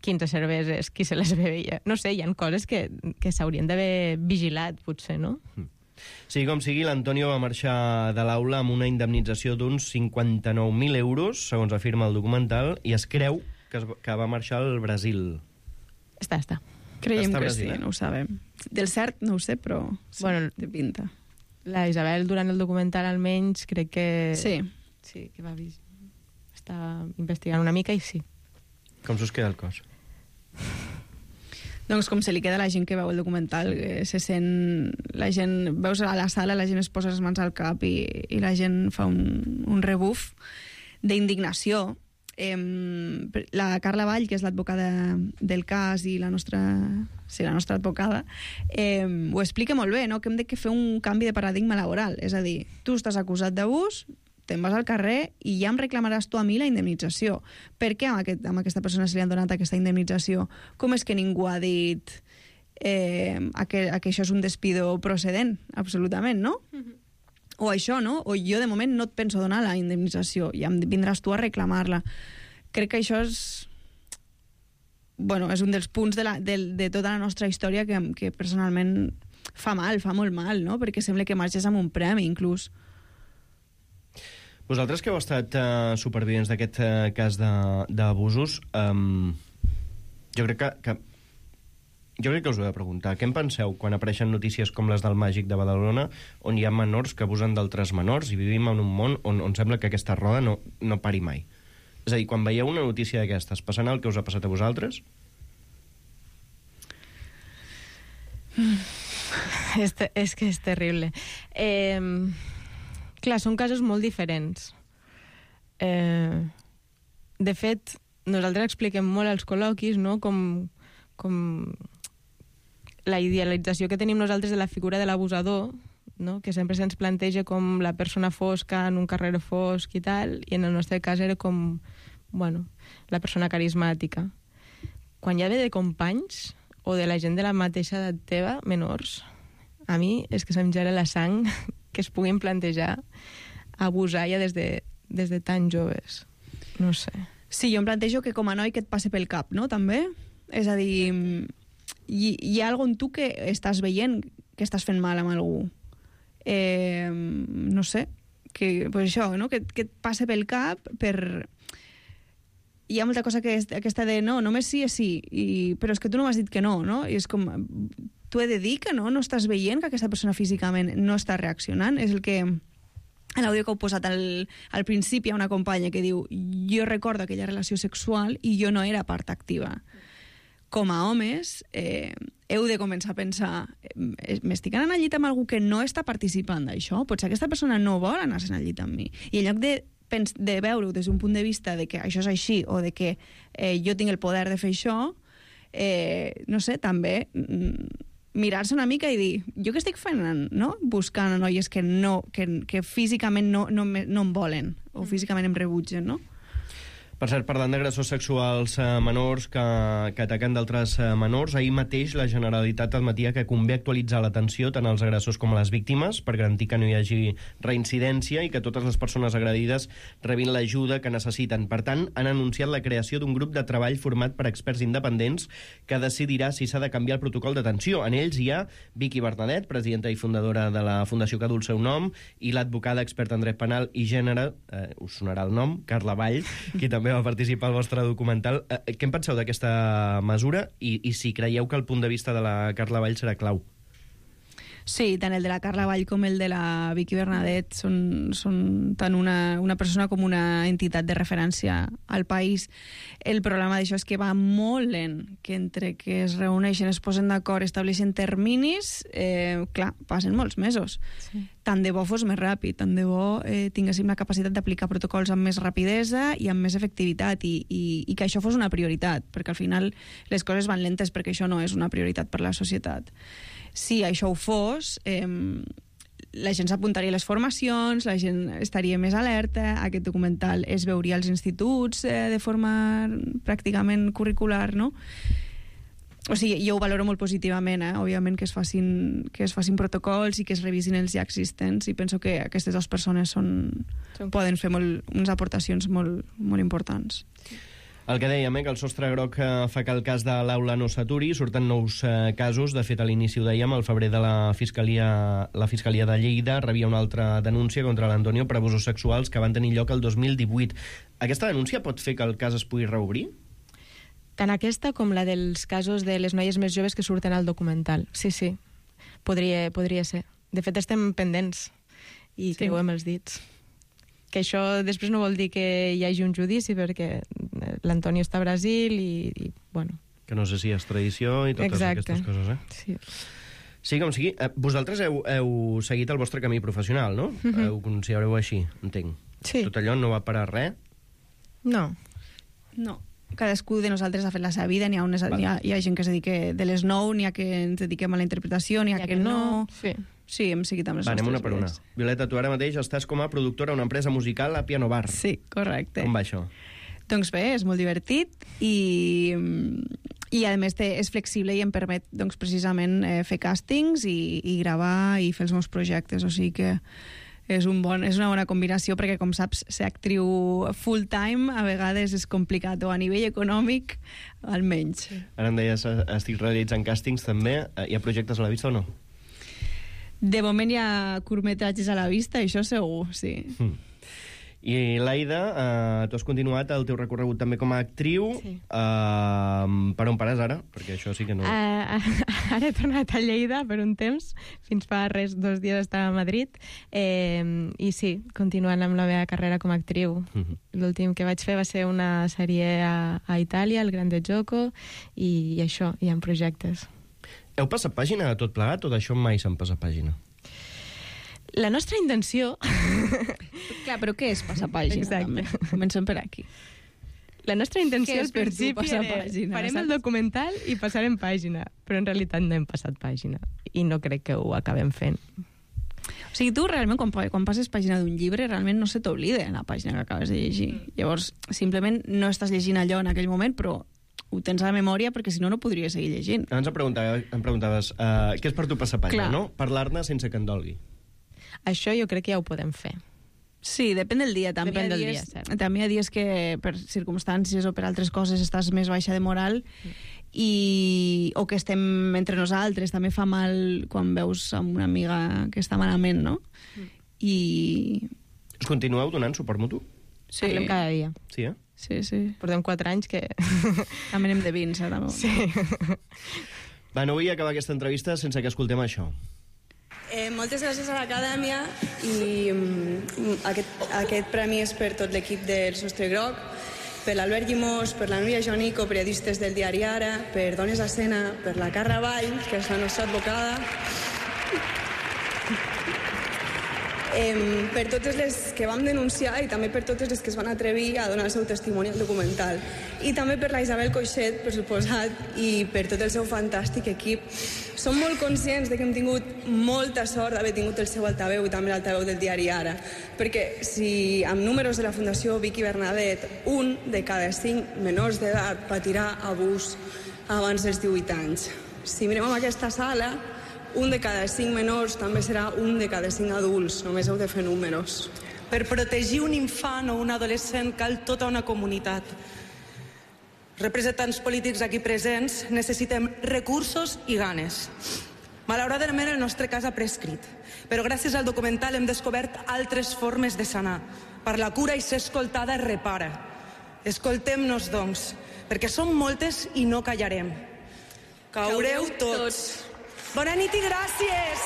15 cerveses, qui se les bevia. No sé, hi ha coses que s'haurien d'haver vigilat, potser, no? Sigui com sigui, l'Antonio va marxar de l'aula amb una indemnització d'uns 59.000 euros, segons afirma el documental, i es creu que va marxar al Brasil. Està. Creiem que sí, no ho sabem. Del cert no ho sé, però té pinta. La Isabel, durant el documental, almenys, crec que... Sí, que va estar investigant una mica i sí. Com s'us queda el cos? Doncs com se li queda a la gent que veu el documental, se sent... La gent, veus a la sala, la gent es posa les mans al cap i la gent fa un rebuf d'indignació. La Carla Vall, que és l'advocada del cas i la nostra advocada, ho explica molt bé, no? Que hem de fer un canvi de paradigma laboral. És a dir, tu estàs acusat d'abús, te'n vas al carrer i ja em reclamaràs tu a mi la indemnització. Per què a aquesta persona se li han donat aquesta indemnització? Com és que ningú ha dit que això és un despido procedent? Absolutament, no? O això, no? O jo de moment no et penso donar la indemnització i em vindràs tu a reclamar-la. Crec que això és un dels punts de tota la nostra història que personalment fa molt mal, no? Perquè sembla que marxes amb un premi, inclús. Vosaltres que heu estat supervivents d'aquest cas d'abusos, jo crec que us ho he de preguntar. Què en penseu quan apareixen notícies com les del Màgic de Badalona, on hi ha menors que abusen d'altres menors, i vivim en un món on sembla que aquesta roda no pari mai? És a dir, quan veieu una notícia d'aquestes, passant el que us ha passat a vosaltres? És que és terrible. Clar, són casos molt diferents. De fet, nosaltres expliquem molt als col·loquis, no?, com la idealització que tenim nosaltres de la figura de l'abusador, no?, que sempre se'ns planteja com la persona fosca en un carrer fosc i tal, i en el nostre cas era com, bueno, la persona carismàtica. Quan ja ve de companys o de la gent de la mateixa edat teva, menors, a mi és que se'm gela la sang que es puguin plantejar abusar ja des de tan joves. No sé. Sí, jo em plantejo que com a noi que et passe pel cap, no?, també. És a dir, hi ha alguna en tu que estàs veient que estàs fent mal amb algú. No sé, que, pues això, no?, que et passe pel cap per... Hi ha molta cosa que aquesta de no, només sí és sí, però és que tu no m'has dit que no, no? I és com, tu he de dir que no estàs veient que aquesta persona físicament no està reaccionant. És el que, en l'àudio que heu posat al principi, hi ha una companya que diu, jo recordo aquella relació sexual i jo no era part activa. Com a homes, heu de començar a pensar, m'estic anant al llit amb algú que no està participant d'això? Potser aquesta persona no vol anar-se'n al llit amb mi. I en lloc de veure-ho des d'un punt de vista de que això és així o de que jo tinc el poder de fer això, no sé, també mirar-se una mica i dir, jo què estic fent, no?, buscant noies que físicament no em volen o físicament em rebutgen, no? Per cert, parlant d'agressors sexuals menors que ataquen d'altres menors, ahir mateix la Generalitat admetia que convé actualitzar l'atenció tant als agressors com a les víctimes per garantir que no hi hagi reincidència i que totes les persones agredides rebin l'ajuda que necessiten. Per tant, han anunciat la creació d'un grup de treball format per experts independents que decidirà si s'ha de canviar el protocol d'atenció. En ells hi ha Vicky Bernadet, presidenta i fundadora de la Fundació que du el seu nom, i l'advocada experta en dret penal i gènere, us sonarà el nom, Carla Vall, qui també va participar al vostre documental. Què en penseu d'aquesta mesura i si creieu que el punt de vista de la Carla Vall serà clau? Sí, tant el de la Carla Vall com el de la Vicky Bernadet són tant una persona com una entitat de referència al país. El problema d'això és que va molt lent, que entre que es reuneixen, es posen d'acord, estableixen terminis, clar, passen molts mesos. Sí. Tant de bo fos més ràpid, tant de bo tinguéssim la capacitat d'aplicar protocols amb més rapidesa i amb més efectivitat i que això fos una prioritat, perquè al final les coses van lentes perquè això no és una prioritat per la societat. Si això ho fos, la gent s'apuntaria a les formacions, la gent estaria més alerta, aquest documental es veuria als instituts de forma pràcticament curricular, no? O sigui, jo ho valoro molt positivament, òbviament que es facin protocols i que es revisin els ja existents, i penso que aquestes dues persones poden fer unes aportacions molt, molt importants. El que dèiem, que el sostre groc fa que el cas de l'Aula no s'aturi, surten nous casos. De fet, a l'inici ho dèiem, al febrer de la Fiscalia de Lleida rebia una altra denúncia contra l'Antonio per abusos sexuals que van tenir lloc el 2018. Aquesta denúncia pot fer que el cas es pugui reobrir? Tant aquesta com la dels casos de les noies més joves que surten al documental. Sí, sí, podria ser. De fet, estem pendents i creuem els dits. Que això després no vol dir que hi hagi un judici, perquè l'Antonio està a Brasil i bueno... Que no sé si és tradició i totes aquestes coses, Sí. Sí, com sigui. Vosaltres heu seguit el vostre camí professional, no? Ho considereu així, entenc. Sí. Tot allò no va parar res? No. No. Cadascú de nosaltres ha fet la seva vida, hi ha gent que es dedica de les 9, n'hi ha que ens dediquem a la interpretació, n'hi ha que no... Sí, hem seguit amb les nostres anem una per una. Violeta, tu ara mateix estàs com a productora a una empresa musical a Piano Bar. Sí, correcte. Com va això? Doncs bé, és molt divertit i a més és flexible i em permet doncs, precisament fer càstings i gravar i fer els meus projectes, o sigui que és una bona combinació, perquè com saps, ser actriu full time a vegades és complicat, o a nivell econòmic almenys. Ara em deies, estic realitzant càstings també. Hi ha projectes a la vista o no? De moment hi ha curtmetratges a la vista, això segur, sí. I l'Aida, tu has continuat el teu recorregut també com a actriu. Sí. Per on pares ara? Perquè això sí que no... Ara he tornat a Lleida per un temps. Fins fa 2 dies estava a Madrid. I sí, continuant amb la meva carrera com a actriu. L'últim que vaig fer va ser una sèrie a Itàlia, El Grande Gioco, i això, hi ha projectes. Heu passat pàgina de tot plegat o d'això mai s'han passat pàgina? La nostra intenció... Clar, però què és passar pàgina? Exacte. Comencem per aquí. La nostra intenció al principi era farem el documental i passarem pàgina, però en realitat no hem passat pàgina i no crec que ho acabem fent. O sigui, tu realment quan passes pàgina d'un llibre realment no se t'oblida la pàgina que acabes de llegir. Llavors, simplement no estàs llegint allò en aquell moment, però ho tens a la memòria perquè si no, no podries seguir llegint. Abans em preguntaves què és per tu passar pàgina, no? Parlar-ne sense que en dolgui. Això jo crec que ja ho podem fer. Sí, depèn del dia. També hi ha dies que per circumstàncies o per altres coses estàs més baixa de moral o que estem entre nosaltres. També fa mal quan veus amb una amiga que està malament, no? I... Us continueu donant suport mutu? Sí. Parlem cada dia. Sí, eh? Sí, sí. Portem 4 anys que... També anem de vins, també. Sí. Va, no vull acabar aquesta entrevista sense que escoltem això. Moltes gràcies a l'Acadèmia i aquest premi és per tot l'equip del Sostre Groc, per l'Albert Llimós, per la Núria Jonico, periodistes del diari Ara, per Dones a Escena, per la Carla Vall, que és la nostra advocada, per totes les que vam denunciar i també per totes les que es van atrevir a donar el seu testimoni al documental. I també per la Isabel Coixet, per suposat, i per tot el seu fantàstic equip. Som molt conscients de que hem tingut molta sort d'haver tingut el seu altaveu i també l'altaveu del diari Ara, perquè si amb números de la Fundació Vicky Bernadet 1 de cada 5 menors d'edat patirà abús abans dels 18 anys. Si mirem en aquesta sala, 1 de cada 5 menors també serà 1 de cada 5 adults. Només heu de fer números. Per protegir un infant o un adolescent cal tota una comunitat. Representants polítics aquí presents necessitem recursos i ganes. Malauradament el nostre cas ha prescrit, però gràcies al documental hem descobert altres formes de sanar. Per la cura i ser escoltada repara. Escoltem-nos, doncs, perquè som moltes i no callarem. Caureu tots. Bona nit i gràcies!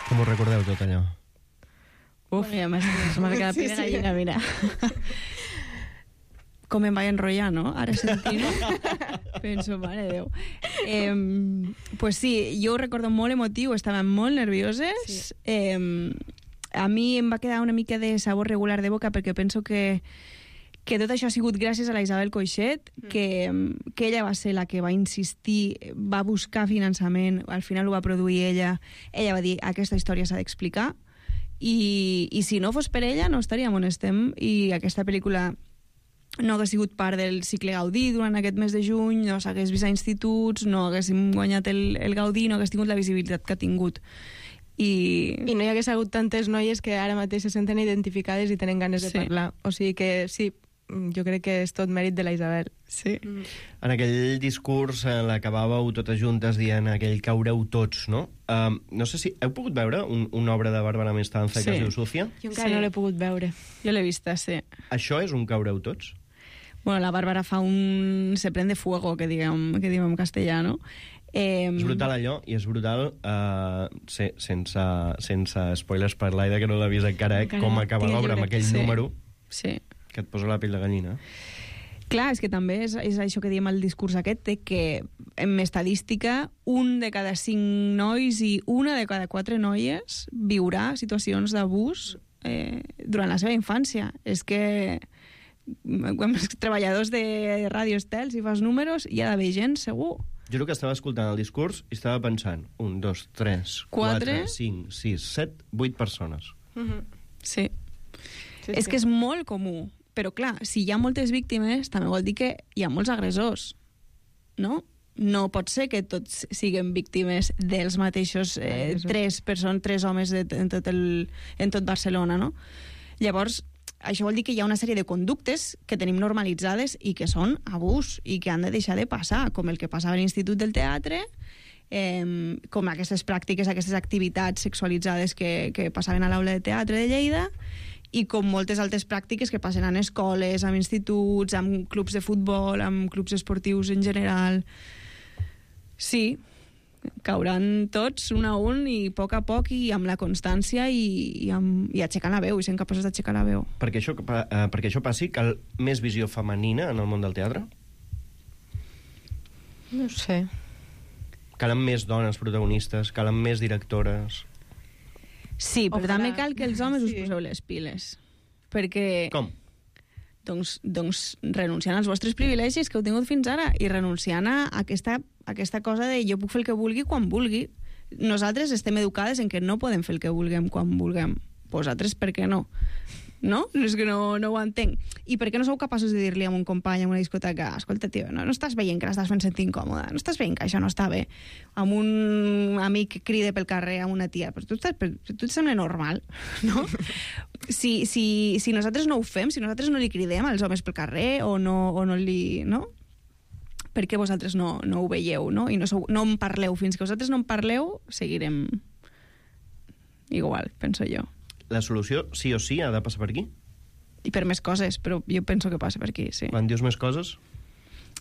Com ho recordeu tot allò? Uf, ja m'ha quedat pena gallina, mira. Com em vaig enrotllar, no? Ara sentint-ho. Penso, mare de Déu. Pues sí, jo ho recordo molt emotiu, estàvem molt nervioses. Sí. A mi em va quedar una mica de sabor regular de boca perquè penso que tot això ha sigut gràcies a la Isabel Coixet, que ella va ser la que va insistir, va buscar finançament, al final ho va produir ella va dir, aquesta història s'ha d'explicar, i si no fos per ella no estaríem on estem, i aquesta pel·lícula no hagués sigut part del cicle Gaudí durant aquest mes de juny, no s'hagués vist a instituts, no haguéssim guanyat el Gaudí, no hagués tingut la visibilitat que ha tingut. I no hi hagués hagut tantes noies que ara mateix se senten identificades i tenen ganes de parlar. O sigui que sí, jo crec que és tot mèrit de la Isabel. Sí. En aquell discurs l'acabàveu totes juntes dient aquell caureu tots, no? No sé si heu pogut veure una obra de Bàrbara Mestanza que es diu Sucia? Jo encara no l'he pogut veure. Jo l'he vista, sí. Això és un caureu tots? Bueno, la Bàrbara fa un se prende fuego, que diguem en castellà, no? És brutal allò, i és brutal sense spoilers per l'Aida, que no l'ha vist encara, com acaba l'obra amb aquell número. Sí. Que et posa la pell de gallina. Clar, és que també és això que diem al discurs aquest, que en estadística 1 de cada 5 nois i 1 de cada 4 noies viurà situacions d'abús durant la seva infància. És que treballadors de Ràdio Estel, si fas números, hi ha d'haver gent, segur. Jo el que estava escoltant el discurs i estava pensant 1, 2, 3, 4, 5, 6, 7, 8 persones. Sí. És que és molt comú. Però, clar, si hi ha moltes víctimes, també vol dir que hi ha molts agressors, no? No pot ser que tots siguin víctimes dels mateixos 3 homes en tot Barcelona, no? Llavors, això vol dir que hi ha una sèrie de conductes que tenim normalitzades i que són abús i que han de deixar de passar, com el que passava a l'Institut del Teatre, com aquestes pràctiques, aquestes activitats sexualitzades que passaven a l'aula de teatre de Lleida, i com moltes altres pràctiques que passen en escoles, en instituts, en clubs de futbol, en clubs esportius en general. Sí, cauran tots un a un i a poc i amb la constància i aixecant la veu, i sent capaços d'aixecar la veu. Perquè això passi, cal més visió femenina en el món del teatre? No sé. Calen més dones protagonistes, calen més directores... Sí, però també cal que els homes us poseu les piles. Perquè... Com? Doncs renunciant als vostres privilegis que heu tingut fins ara i renunciant a aquesta cosa de jo puc fer el que vulgui quan vulgui. Nosaltres estem educades en que no podem fer el que vulguem quan vulguem. Vosaltres per què no? No? És que no ho entenc. I per què no sou capaços de dir-li a un company en una discoteca, escolta, tio, no estàs veient que l'estàs fent sentir incòmoda, no estàs veient que això no està bé, amb un amic que crida pel carrer a una tia, però tu et sembla normal, no? Si nosaltres no ho fem, si nosaltres no li cridem als homes pel carrer o no li... no? Per què vosaltres no ho veieu, no? I no en parleu. Fins que vosaltres no en parleu, seguirem igual, penso jo. La solució, sí o sí, ha de passar per aquí? I per més coses, però jo penso que passa per aquí, sí. Quan dius més coses?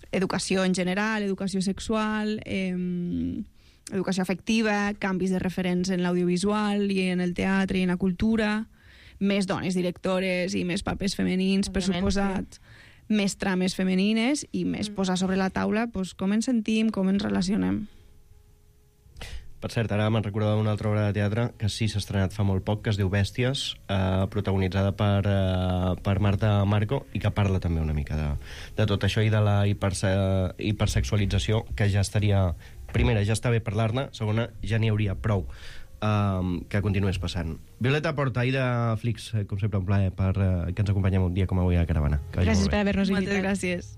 Educació en general, educació sexual, educació afectiva, canvis de referents en l'audiovisual i en el teatre i en la cultura, més dones directores i més papers femenins, per suposat, més trames femenines i més posar sobre la taula com ens sentim, com ens relacionem. Per cert, ara me'n recordava una altra obra de teatre que sí s'ha estrenat fa molt poc, que es diu Bèsties, protagonitzada per Marta Marco, i que parla també una mica de tot això i de la hipersexualització, que ja estaria... Primera, ja està bé parlar-ne, segona, ja n'hi hauria prou que continués passant. Violeta Porta, Aida Flix, com sempre un plaer que ens acompanyem un dia com avui a la Caravana. Gràcies per haver-nos invitat. Moltes gràcies.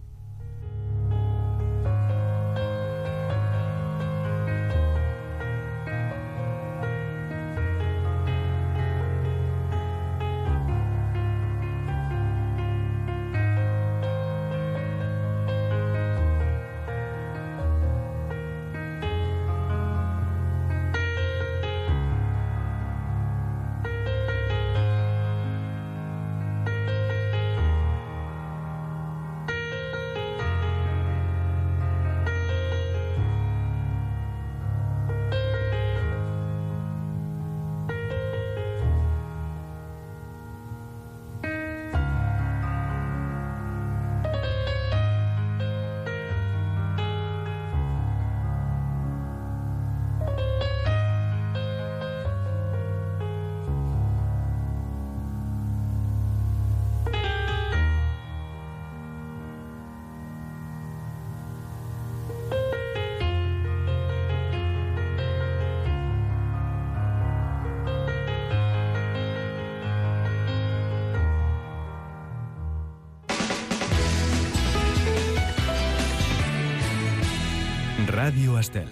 Ràdio Estel.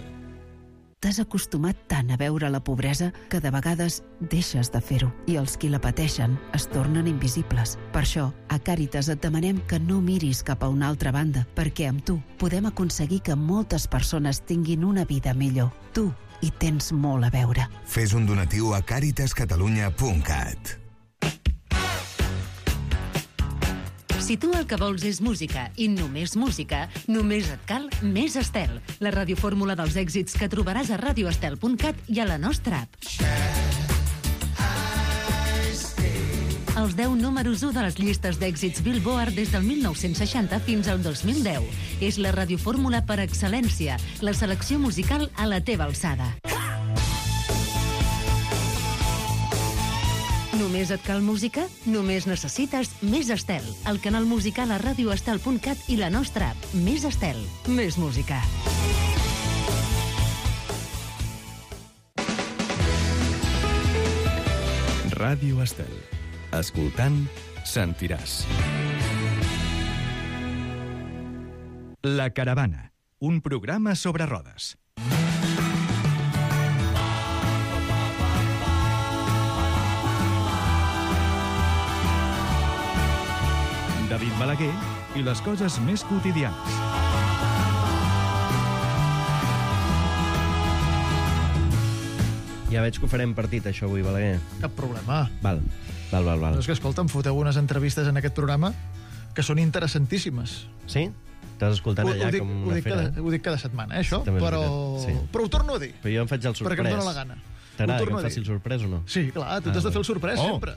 T'has acostumat tant a veure la pobresa que de vegades deixes de fer-ho i els qui la pateixen es tornen invisibles. Per això, a Càritas et demanem que no miris cap a una altra banda, perquè amb tu podem aconseguir que moltes persones tinguin una vida millor. Tu hi tens molt a veure. Fes un donatiu a caritascatalunya.cat. Si tu el que vols és música i només música, només et cal Més Estel, la radiofórmula dels èxits que trobaràs a radioestel.cat i a la nostra app. Els 10 números 1 de les llistes d'èxits Billboard des del 1960 fins al 2010. És la radiofórmula per excel·lència, la selecció musical a la teva alçada. Només et cal música? Només necessites Més Estel, el canal musical a radioestel.cat i la nostra app. Més Estel, més música. Ràdio Estel. Escoltant, sentiràs. La Caravana, un programa sobre rodes. David Balaguer i les coses més quotidianes. Ja veig que ho farem partit, això, avui, Balaguer. Cap problema. Val. No, és que, escolta, em foteu unes entrevistes en aquest programa que són interessantíssimes. Sí? T'has escoltat allà com una fera? Ho dic cada setmana, això, també però ho torno a dir. Però jo em faig el sorprès. Perquè em dóna la gana. T'agrada que em faci el sorprès o no? Sí, clar, tu t'has de fer el sorprès sempre.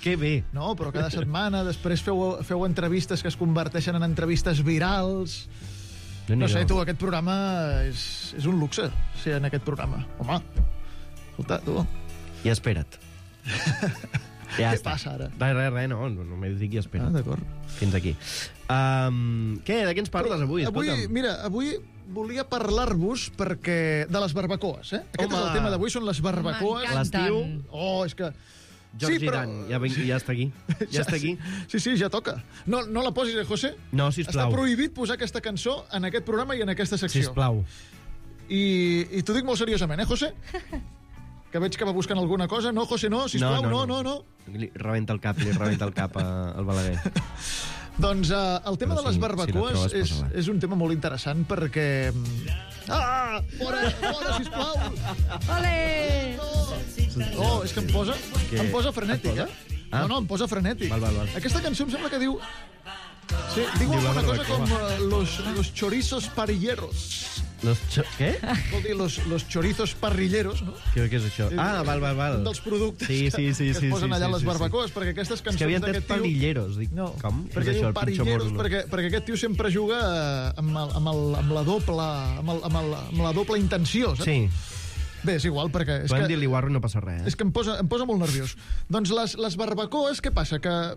Que bé. No, però cada setmana després feu entrevistes que es converteixen en entrevistes virals. No sé, tu, aquest programa és un luxe, ser en aquest programa. Home, escolta, tu. I espera't. Ja què passa ara? Res, no m'he dit i espera't. D'acord. Fins aquí. Què, de què ens parles avui? Avui volia parlar-vos de les barbacoes, eh? Aquest és el tema d'avui, són les barbacoes. L'estiu. Oh, és que... George Giran, ja està aquí. Ja està aquí. Sí, ja toca. No la posis, José? No, sisplau. Està prohibit posar aquesta cançó en aquest programa i en aquesta secció. Sisplau. I t'ho dic molt seriosament, José? Que veig que va buscant alguna cosa. No, José, no, sisplau, no. Li rebenta el cap al Balaguer. Doncs el tema de les barbacoes és un tema molt interessant perquè... Fora, sisplau! Ole! Oh, és que em posa frenètic, eh? No, em posa frenètic. Val. Aquesta cançó em sembla que diu... Sí, diu alguna cosa com los chorizos parrilleros. Què? Vol dir los chorizos parrilleros, no? Què és això? Val. Un dels productes que es posen allà a les barbacoes, perquè aquestes cançons d'aquest tio... És que havien tret parrilleros. No, com? perquè diu parrilleros, perquè aquest tio sempre juga amb la doble intenció, saps? Sí. Bé, és igual, perquè... Podem dir-li guarro i no passa res. És que em posa molt nerviós. Doncs les barbacoes, què passa? Que,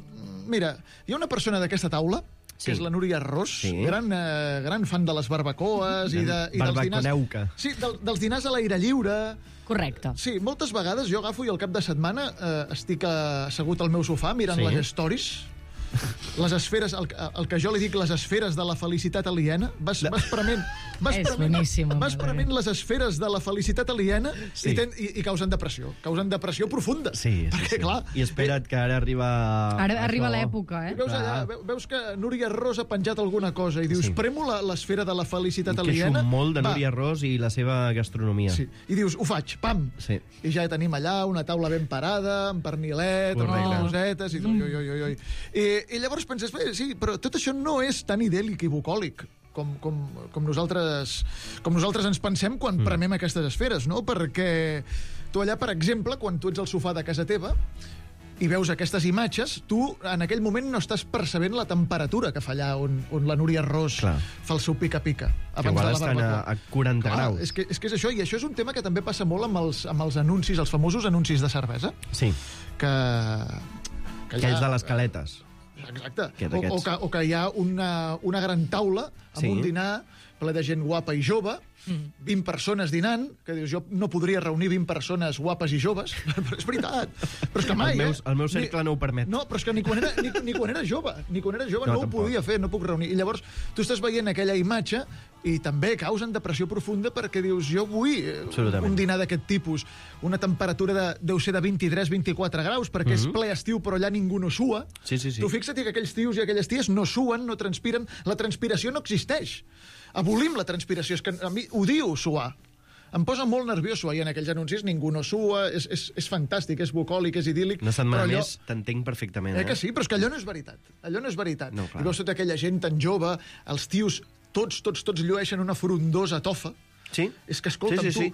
mira, hi ha una persona d'aquesta taula que és la Núria Ros, gran fan de les barbacoes i dels dinars... Sí, dels dinars a l'aire lliure. Correcte. Sí, moltes vegades jo agafo i al cap de setmana estic assegut al meu sofà mirant les stories, les esferes, el que jo li dic les esferes de la felicitat aliena, vas prement les esferes de la felicitat aliena i causen depressió profunda. Perquè, clar... I espera't que ara arriba... Ara arriba l'època, eh? Veus que Núria Ros ha penjat alguna cosa i dius, premo l'esfera de la felicitat aliena... Queixo molt de Núria Ros i la seva gastronomia. Sí. I dius, ho faig, pam! Sí. I ja tenim allà una taula ben parada, amb pernilet, amb cosetes, i llavors penses, sí, però tot això no és tan idèl·lic i bucòlic com nosaltres ens pensem quan premem aquestes esferes, no? Perquè tu allà, per exemple, quan tu ets al sofà de casa teva i veus aquestes imatges, tu en aquell moment no estàs percebent la temperatura que fa allà on la Núria Ros fa el seu pica-pica. Que igual estan a 40 graus. És que és això, i això és un tema que també passa molt amb els anuncis, els famosos anuncis de cervesa. Sí. Aquells de les caletes. Exacte. O que hi ha una gran taula amb un dinar ple de gent guapa i jove, 20 persones dinant, que dius, jo no podria reunir 20 persones guapes i joves, però és veritat. Però és que mai, el meu cercle no ho permet. No, però és que ni quan era jove no ho podia fer, no puc reunir. I llavors tu estàs veient aquella imatge i també causen depressió profunda perquè dius, jo vull un dinar d'aquest tipus, una temperatura deu ser de 23-24 graus, perquè és ple estiu, però allà ningú no sua. Sí. Tu fixa't que aquells tios i aquelles ties no suen, no transpiren, la transpiració no existeix. Abolim la transpiració, és que a mi odio suar. Em posa molt nerviós suar, i en aquells anuncis ningú no sua, és fantàstic, és bucòlic, és idíl·lic. Una setmana més t'entenc perfectament. Que sí, però és que allò no és veritat. No, i veus tota aquella gent tan jove, els tios, tots llueixen una frondosa tofa. Sí? És que, escolta'm, tu...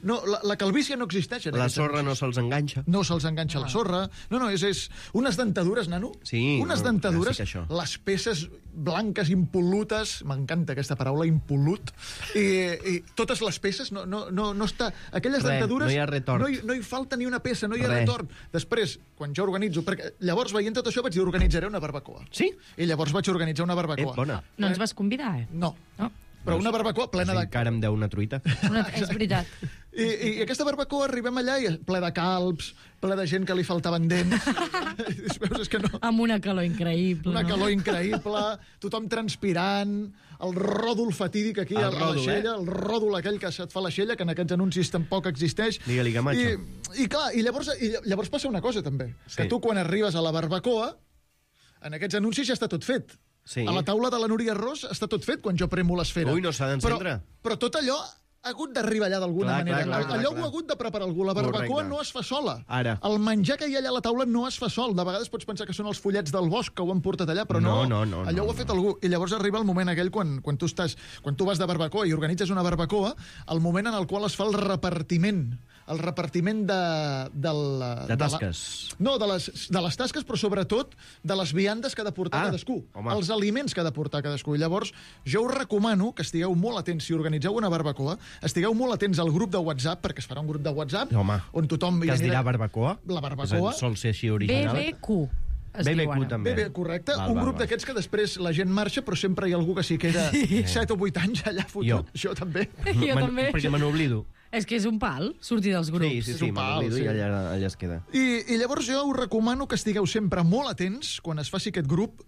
No, la calvície no existeix. La sorra no se'ls enganxa. No se'ls enganxa la sorra. No, és unes dentadures, nano. Sí. Unes dentadures, les peces blanques, impol·lutes, m'encanta aquesta paraula, impol·lut, i totes les peces, no està... Aquelles dentadures... No hi ha retort. No hi falta ni una peça, no hi ha retort. Després, quan jo organitzo... Perquè llavors, veient tot això, vaig dir, organitzaré una barbacoa. Sí? I llavors vaig organitzar una barbacoa. Bona. No ens vas convidar, eh? No. Però una barbacoa plena de... Encara em deu una truita. És veritat. I aquesta barbacoa arribem allà i ple de calbs, ple de gent que li faltaven dents. Veus, és que no... Amb una calor increïble. Una calor increïble, tothom transpirant, el ròdol fatídic aquí a l'aixella, el ròdol aquell que se't fa l'aixella, que en aquests anuncis tampoc existeix. Digue-li, Camacho. I llavors passa una cosa, també. Que tu, quan arribes a la barbacoa, en aquests anuncis ja està tot fet. Sí. A la taula de la Núria Ros està tot fet quan jo premo l'esfera. Ui, no s'ha d'encendre. Però tot allò hagut d'arribar allà d'alguna manera. Allò ho ha hagut de preparar algú. La barbacoa no es fa sola. El menjar que hi ha allà a la taula no es fa sol. De vegades pots pensar que són els follets del bosc que ho han portat allà, però no. Allò ho ha fet algú. I llavors arriba el moment aquell quan tu vas de barbacoa i organitzes una barbacoa, el moment en el qual es fa el repartiment de tasques. No, de les tasques, però sobretot de les viandes que ha de portar cadascú. Els aliments que ha de portar cadascú. I llavors, jo us recomano que estigueu molt atents, si organitzeu una barbacoa, estigueu molt atents al grup de WhatsApp, perquè es farà un grup de WhatsApp on tothom... Que es dirà barbacoa? La barbacoa. Sol ser així original. BBQ també. Correcte. Un grup d'aquests que després la gent marxa, però sempre hi ha algú que s'hi queda 7 o 8 anys allà fotut. Jo també. Jo també. Perquè me n'oblido. És que és un pal, sortir dels grups. Sí, me n'oblido i allà es queda. I llavors jo us recomano que estigueu sempre molt atents quan es faci aquest grup,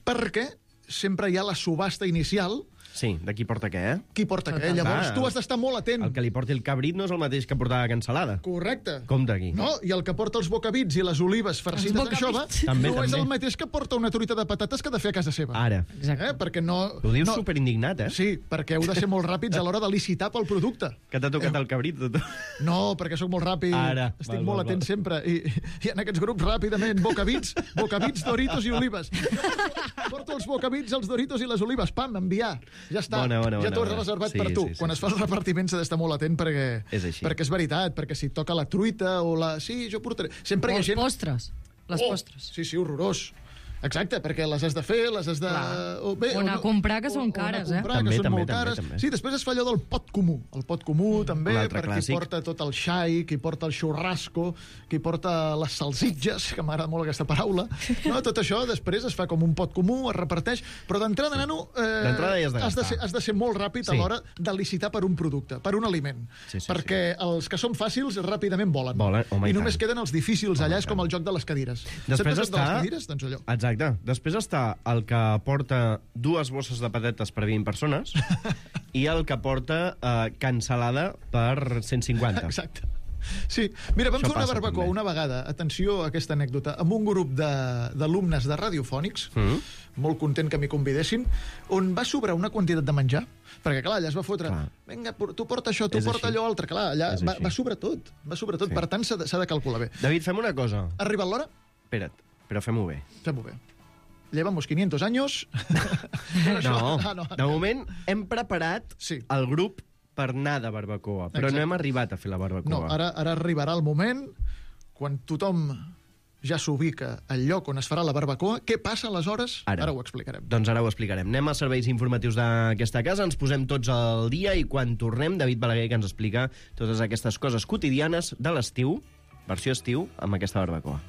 perquè sempre hi ha la subhasta inicial. Sí, de qui porta què, Qui porta què. Llavors tu has d'estar molt atent. El que li porti el cabrit no és el mateix que portar la cansalada. Correcte. Compte aquí. No, i el que porta els bocabits i les olives farcides d'anxova no és el mateix que porta una truita de patates que ha de fer a casa seva. Ara. Perquè no... Ho dius superindignat, Sí, perquè heu de ser molt ràpids a l'hora de licitar pel producte. Que t'ha tocat el cabrit, tot. No, perquè sóc molt ràpid. Ara. Estic molt atent sempre. I en aquests grups, ràpidament, bocabits, Doritos i olives. Porto els bocabits, els Doritos i les olives. Pam, enviar. Ja està. Ja t'ho has reservat per tu. Quan es fa el repartiment s'ha d'estar molt atent perquè és veritat, perquè si toca la truita o la... Sí, jo portaré... Sempre hi ha gent... O els postres. Les postres. Sí, horrorós. Exacte, perquè les has de fer, les has de... O anar a comprar, que són cares, que són molt cares. Sí, després es fa allò del pot comú. El pot comú, també, per qui porta tot el xai, qui porta el xurrasco, qui porta les salsitges, que m'agrada molt aquesta paraula. No, tot això després es fa com un pot comú, es reparteix, però d'entrada, nano, has de ser molt ràpid a l'hora de licitar per un producte, per un aliment. Perquè els que són fàcils ràpidament volen. I només queden els difícils allà, és com el joc de les cadires. Després està... de les cadires? Doncs allò. Exacte. Després està el que porta 2 bosses de patates per 20 persones i el que porta cansalada per 150. Exacte. Sí. Mira, vam fer una barbacoa una vegada, atenció a aquesta anècdota, amb un grup d'alumnes de radiofònics, molt content que m'hi convidessin, on va sobrar una quantitat de menjar, perquè clar, allà es va fotre, vinga, tu porta això, tu porta allò altre, clar, allà va sobrar tot, per tant s'ha de calcular bé. David, fem una cosa. Ha arribat l'hora? Espera't, però fem-ho bé. Fem-ho bé. Llevamos 500 años. No, de moment hem preparat el grup per anar de barbacoa, però no hem arribat a fer la barbacoa. No, ara arribarà el moment quan tothom ja s'ubica al lloc on es farà la barbacoa. Què passa aleshores? Ara ho explicarem. Doncs ara ho explicarem. Anem als serveis informatius d'aquesta casa, ens posem tots al dia i quan tornem, David Balaguer que ens explica totes aquestes coses quotidianes de l'estiu, versió estiu, amb aquesta barbacoa.